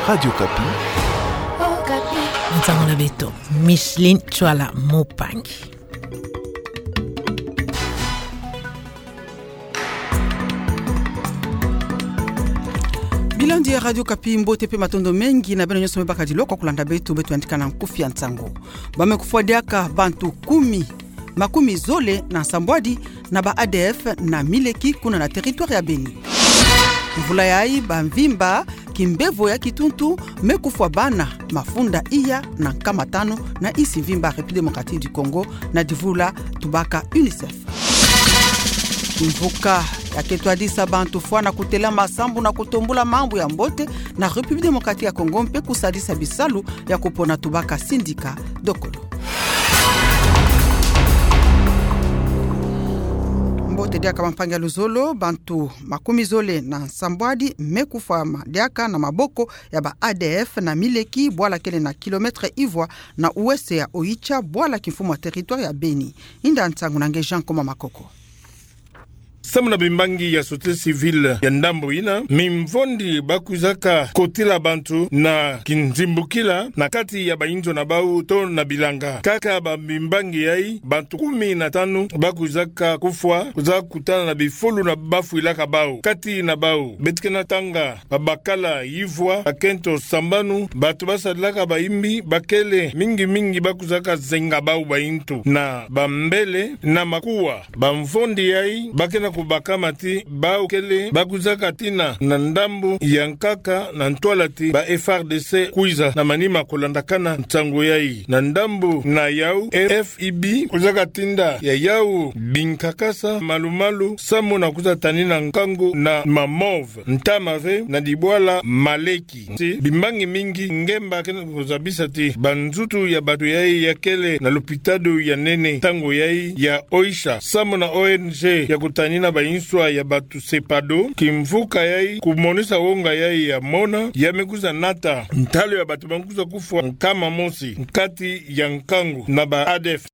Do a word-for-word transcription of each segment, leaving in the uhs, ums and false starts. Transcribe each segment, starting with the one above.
Radio Okapi. Nsangu na beto, Micheline Tswala Mupangi. Bilandi ya Radio Okapi, mbote pe matondo mengi na beno nyonso me bakadilwa kwa kulanda beto, beto yandika na nkufi ya nsangu. Ba me kufwa diaka bantu kumi, makumi zole na nsambwadi na ba A D F na Mileki, kuna na territoire ya Beni. Mvula yayi, ba mvimba kimbevo ya kituntu me kufwa bana mafunda iya na nkama tanu na insi mvimba République Démocratique du Congo, na divula tubaka UNICEF. Mvuka ya ke twadisa bantu fwana kutelama sambu na kutumbula mambu ya mbote na République Démocratique ya Congo mpe kusadisa bisalu ya kupona tubaka sindika dokolo. Mbote diaka bampangi ya luzolo, bantu makumi zole na nsambwadi me kufwama diaka na maboko ya ba A D F na Mileki, bwala kele na kilomètre ivwa na ouest ya Oicha, bwala kimfumu ya territoire ya Beni. Inda nsangu na nge Jean Koma Makoko. Samu na bimbangi ya société civile ya ndambu ina, mimvondi bakwizaka kotila bantu na kinzimbukila na kati ya bainzo na bau to na bilanga. Kaka ba mimbangi yayi, bantu kumi na tanu bakwizaka kufwa, kwiza kutana na bifulu na bafwilaka bau. Kati na bau, beto ke na tanga babakala ivwa, bakento sambanu, bantu basadilaka bayimbi, bakele mingi mingi bakwizaka zenga bau baintu na bambele na makuwa. Bamvondi yayi ba ke na kubakama ti bau kele bakwizaka tina na ndambu ya nkaka na ntwala ti ba F A R D C kwiza na manima kulandakana nsangu yayi. Na ndambu na yau, F I B kwizaka tinda ya yau binkakasa malu-malu samu na kwiza tanina nkangu na Mamove, ntama ve na dibwala Maleki. Ti bimbangi mingi, ngemba ke na kuzabisa ti banzutu ya bantu yayi ya kele na lopitalo ya nene ntangu yayi ya Oicha, samu na O N G ya kutanina bainswa ya bantu, Sepado, kimvuka yayi kumonisa wonga yayi ya mona, ya me kwiza nata ntalu ya bantu ba me kwiza kufwa nkama mosi nkati ya nkangu na ba A D F.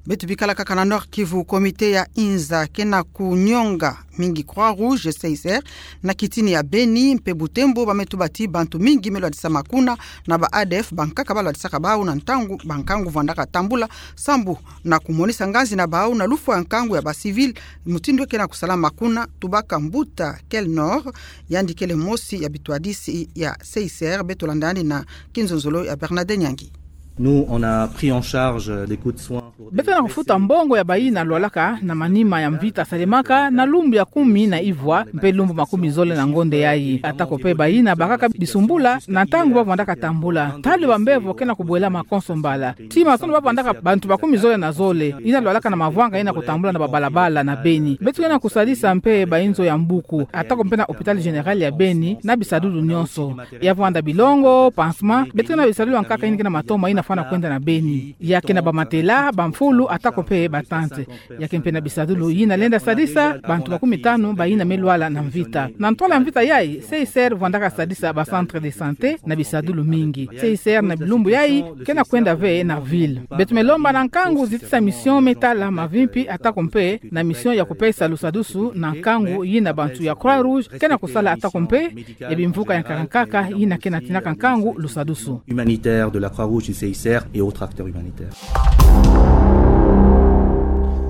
Beto bikala kaka na Nord-Kivu, comité ya Inza ke na kunyonga mingi Croix-Rouge, C I C R, na kitini ya Beni mpe Butembo. Ba me tuba ti bantu mingi me lwadisa makuna na ba A D F, bankaka ba lwadisaka bau na ntangu bankangu vwandaka tambula, sambu na kumonisa nganzi na bau na lufwa ya nkangu ya ba civil, mutindu ke na kusalama kuna. Tubaka Mbuta Kelnor, yandi kele mosi ya bitwadisi ya C I C R, beto landa yandi na kinzonzolo ya Bernadette Nyangi. Nous, on a pris en charge les coûts de soins pour des blessés. Beto ke na kufuta mbongo ya bayina lwalaka na manima ya mvita salemaka na lumbu ya kumi na ivwa mpe lumbu makumi zole na ngonde yayi. Atako mpe bayina bakaka bisumbula na ntangu ba vwandaka tambula. Ntalu ya bambevo ke na kubwela makonso mbala. Ti mazono ba vwandaka bantu makumi zole na zole yina lwalaka na mavwanga yina kutambula na babalabala na Beni. Beto ke na kusadisa mpe bainzo ya mbuku, atako mpe na hôpital général ya Beni na bisadulu nyonso ya vwanda bilongo, pansement, beto ke na bisadulu ya nkaka yina ke na matoma yina fwana kwenda na Beni. Ya ke na bamatela, bamfulu, atako mpe batente. Ya ke mpe na bisadulu yina lenda sadisa bantu makumi tanu bayina me lwala na mvita. Na ntwala mvita yayi, C I C R vwandaka sadisa ba centre de santé na bisadulu mingi. C I C R na bilumbu yayi ke na kwenda ve na ville. Beto me lomba na nkangu zitisa mission me tala mavimpi, atako mpe na mission ya kupesa lusadusu na nkangu yina bantu ya Croix-Rouge ke na kusala, atako mpe ya bimvuka ya nkaka nkaka yina ke na tinaka nkangu lusadusu. Humanitaire de la Croix-Rouge, du C I C R et autres acteurs humanitaires.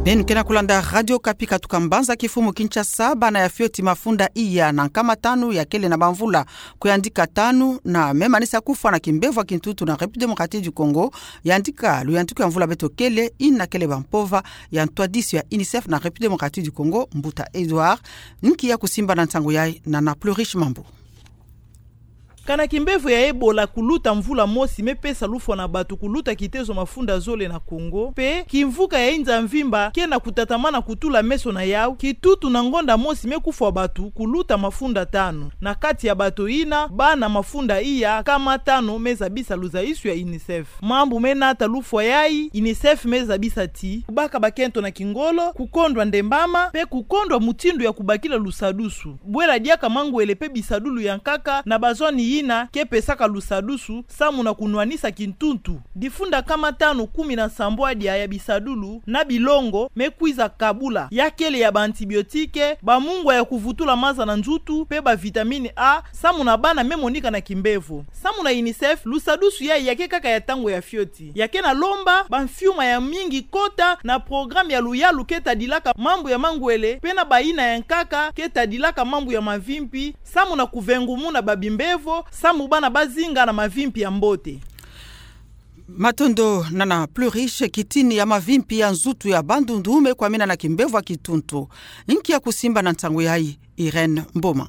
Beno ke na kulanda Radio Okapi katuka mbanza kifumu Kinshasa. Bana ya fioti mafunda iya na nkama tanu ya kele na bamvula kuyandika tanu na me manisa kufwa na kimbevo ya kintuntu na République Démocratique du Congo, yandika luyantiku ya mvula beto kele, yina kele bampova ya ntwadisi ya UNICEF na République Démocratique du Congo, Mbuta Edouard. Nki ya kusimba na nsangu yayi na na Plurish Mambu. Kana kimbevo ya Ebola kuluta mvula mosi me pesa lufwa na bantu kuluta kitezo mafunda zole na Congo, mpe kimvuka ya inza mvimba ke na kutatamana kutula meso na yau, kintuntu na ngonda mosi me kufwa bantu kuluta mafunda tanu. Na kati ya bantu yina, bana mafunda iya nkama tanu me zabisa luzaisu ya UNICEF. Mambu me nata lufwa yayi, UNICEF me zabisa ti kubaka bakento na kingolo, kukondwa ndembama, mpe kukondwa mutindu ya kubakila lusadusu, bwela diaka mangwele mpe bisadulu ya nkaka na bazwani ina ke pesaka lusadusu samu na kunwanisa kintuntu difunda nkama tanu kumi na nsambwadia ya bisadulu na bilongo me kwiza kabula, ya kele ya ba antibiotique, ba mungwa ya kuvutula maza na nzutu, pe ba vitamine A, samu na bana me monika na kimbevo. Samu na UNICEF, lusadusu yayi ya ke kaka ya ntangu ya fioti. Ya ke na lomba ba mfiuma ya mingi kota na programme ya luyalu ke tadilaka mambu ya mangwele, pe na bayina ya nkaka ke tadilaka mambu ya mavimpi, samu na kuvengumuna ba bimbevo, samu bana bazinga na mavimpi ya mbote. Matondo. Nana Plus Riche, kitini ya mavimpi ya nzutu ya Bandundu me kwamina na kimbevo ya kituntu. Nki ya kusimba na ntangu yayi? Irène Mboma.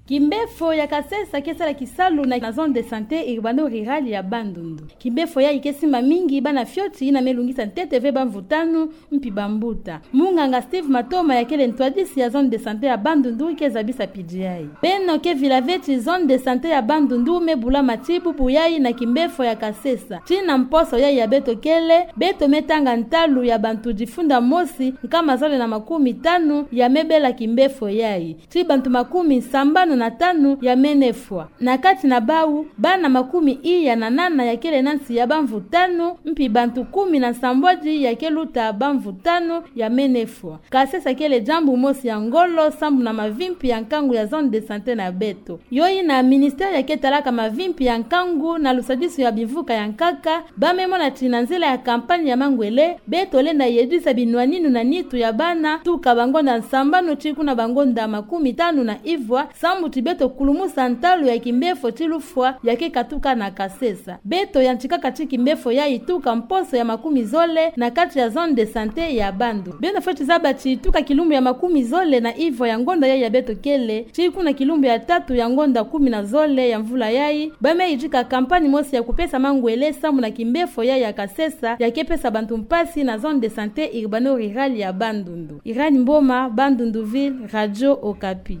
Kimbefo ya Kasesa ke sala kisalu na, na zone de santé urbano-rurale ya Bandundu. Kimbefo yayi ke simba mingi bana fioti ina me lungisa ntete ve bamvutano mpi bambuta. Munganga Steve Matoma, ya kele ntwadisi ya zone de santé ya Bandundu, ke zabisa pidi yayi. Beno ke vila ve ti zone de santé ya Bandundu me bula mati bubu yayi na kimbefo ya Kasesa. Ti na mposo yayi ya beto kele, beto me tanga ntalu ya bantu difunda mosi nkama zole na makumi tanu ya me bela kimbefo yayi. Ti bantu makumi sambanu na tanu ya me nefwa. Na kati na bawu, bana makumi iya na nana ya kele na nsi ya bamvutano, mpi bantu kumi na nsambwadi ya ke luta bamvutano ya me nefwa. Kasesa kele diambu mosi ya ngolo samu na mavimpi ya nkangu ya zone de santé na beto. Yo ina ministère ya ke talaka mavimpi ya nkangu na lusadisu ya bimvuka ya nkaka, ba me mona ti na nzila ya campagne ya mangwele, beto lenda yedisa binwaninu na nitu ya bana tuka bangonda sambanu ti kuna bangonda makumi tanu na ivwa, samu ti beto kulumusa ntalu ya kimbefo ti lufwa ya ke katuka na Kasesa. Beto yantikaka ti kimbefo yayi tuka mposo ya makumi zole na kati ya zone de santé ya Bandundu. Beno fioti zaba ti tuka kilumbu ya makumi zole na ivwa ya ngonda yayi ya beto kele, ti kuna kilumbu ya tatu ya ngonda kumi na zole ya mvula yayi, ba me yidika campagne mosi ya kupesa mangwele samu na kimbefo yayi ya Kasesa, ya ke pesa bantu mpasi na zone de santé urbano-rurale ya Bandundu. Irène Mboma, Bandundu Ville, Radio Okapi.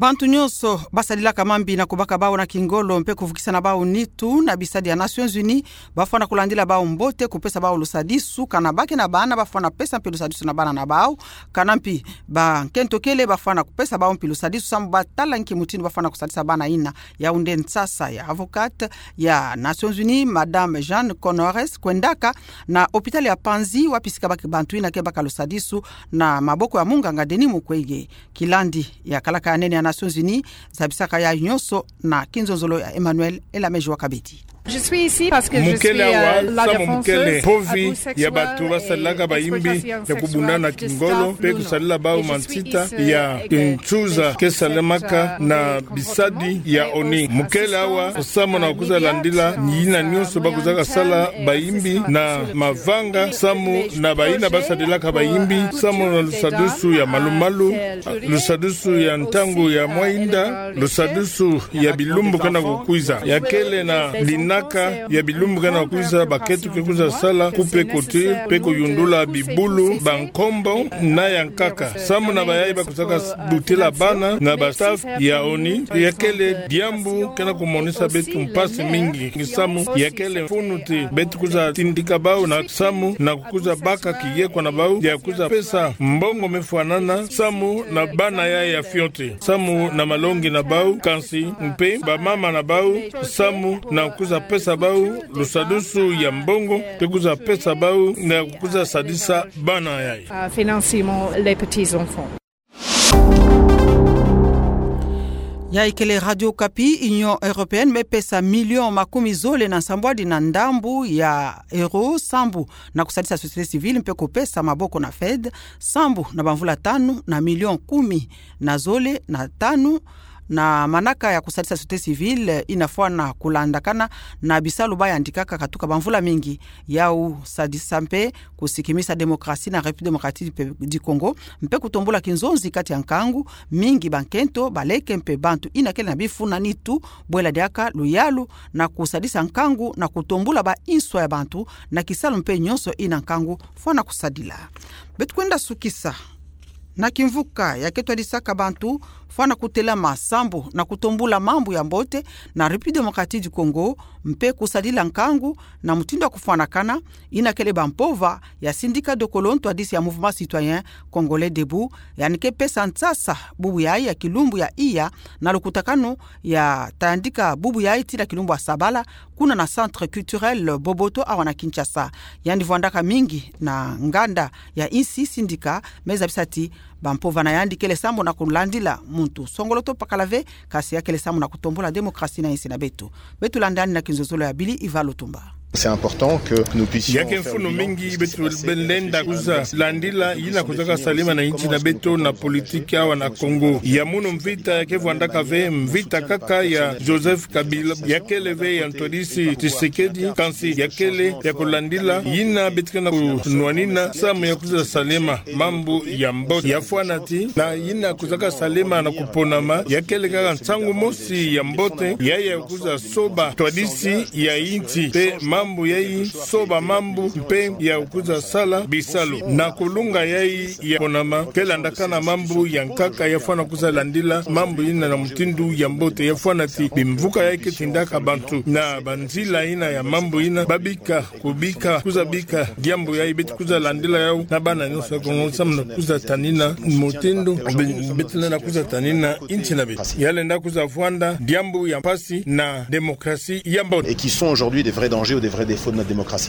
Bantu nyonso basadilaka mambi na kubaka bawu na kingolo mpe kuvukisa na bawu nitu na bisadi ya Nations Unies, bafwana kulandila bawu mbote, kupesa bawu lusadisu, kana ba ke na bana bafwana pesa mpe lusadisu na bana na bawu, kana mpi bankento kele bafwana kupesa bawu mpi lusadisu samu batala nki mutindu bafwana kusadisa bana ina. Yaoundé, nsasa ya avocate ya Nations Unies, Madame Jeanne Connores, kwendaka na hôpital ya Panzi, wapi si kabaki bantu ina ke baka lusadisu na maboko ya munganga Denis Mukwege. Kilandi ya kalaka ya nene ya Nations Unies, zabisaka yayi nyonso na kinzonzolo ya Emmanuel Elameji wa Kabedi. Je suis ici parce que je suis, euh, la défenseuse du droit de la femme. Mukele awa samu mukele mpovi ya bantu basadilaka bayimbi ya kubundana na kingolo mpe kusadila bawu mansita ya kinsuza ke salemaka na bisadi ya ONU. Mukele awa samu na kwiza landila yina nyonso bakwizaka sala bayimbi na mavanga, samu na bayina basadilaka bayimbi, samu na lusadusu ya malumalu, lusadusu ya ntangu ya mwinda, lusadusu ya bilumbu ke na kukwiza. Ya kele na linaka ya bilumbu ke na kukwiza, bakento ke kwiza sala couper couture mpe kuyundula bibulu, bankombo na ya nkaka. Samu na bayayi bakwizaka butila bana na ba staff ya ONU, ya kele diambu ke na kumonisa beto mpasi mingi. Samu ya kele mfunu ti beto kwiza tindika bawu na samu na kwiza baka kiyekwa na bawu, ya kwiza pesa mbongo me fwanana samu na bana yayi ya fioti, samu na malongi na bawu, kansi mpe bamama na bawu, samu na kwiza pesa bawu lusadusu ya mbongo, mpe kwiza pesa bawu na kwiza sadisa bana yayi. Euh, financièrement les petits enfants. Yayi kele Radio Okapi. Union Européenne me pesa million makumi zole na nsambwadi na ndambu ya euro sambu na kusadisa société civile mpe kupesa maboko na FED sambu na bamvula tanu na million kumi na zole na tanu na manaka ya kusadisa société civile ina fwana kulandakana na bisalu bayantikaka katuka bamvula mingi. Yawu sadisa mpe kusikimisa démocratie na République démocratique du Congo, mpe kutombula kinzonzi kati ya nkangu mingi, bankento, baleke mpe bantu ina kele na bifu na nitu, bwela diaka luyalu na kusadisa nkangu na kutombula ba inswa ya bantu na kisalu mpe nyonso ina nkangu fwana kusadila. Beto kwenda sukisa na kimvuka ya ke twadisaka bantu fwana kutela masambu na kutombula mambu ya mbote na République Démocratique du Congo, mpe kusadila nkangu na mutindu ya kufwanakana, ina kele bampova ya Syndicat Dokolo Ntwadisi ya Mouvement Citoyen Congolais Debout, yanika pesa nsasa bubu yayi ya kilumbu ya iya na lukutakanu ya tayandika bubu yayi tii na kilumbu ya sabala, kuna na Centre Culturel Boboto awa na Kinshasa. Yandi vwandaka mingi na nganda ya insi syndicat, me zabisa ti bampova na yandi kele sambu na kulandila muntu songolo to pakala ve, kasi ya kele sambu na kutombula démocratie na insi na beto. Beto landa yandi na kinzozolo ya Billy Iva Lutumba. C'est important que nous puissions... Ya ke mfunu mingi beto lenda kuzalandila yina kuzaka salema na insi na beto na politique awa na Congo. Ya munu mvita ya ke vwandaka ve mvita kaka ya Joseph Kabila, ya kele ve ya Ntwadisi Tshisekedi, kansi ya kele ya kulandila yina beto ke na kunwanina samu ya kuzasalema mambu ya mbote. Ya fwana ti na yina kuzaka salema na kuponama, ya kele kaka nsangu mosi ya mbote, ya ya kuzasoba ntwadisi ya insi, mpe mambu yayi soba mambu, mpe ya kuzasala bisalu. Na kulunga yayi ya ponama, ke landakana mambu ya nkaka, ya fwana kuzalandila mambu yina na mutindu ya mbote. Ya fwana ti bimvuka yayi ke tindaka bantu na banzila yina ya mambu yina, babika, kubika, kuzabika diambu yayi, beto kuzalandila yawu na bana nyonso ya Kongo samu na kuzatanina mutindu be-, beto lenda kuzatanina insi na beto. Ya lenda kuzavwanda diambu ya mpasi na démocratie ya mbote. Et qui sont aujourd'hui des vrais dangers ou des vrais défauts de notre démocratie.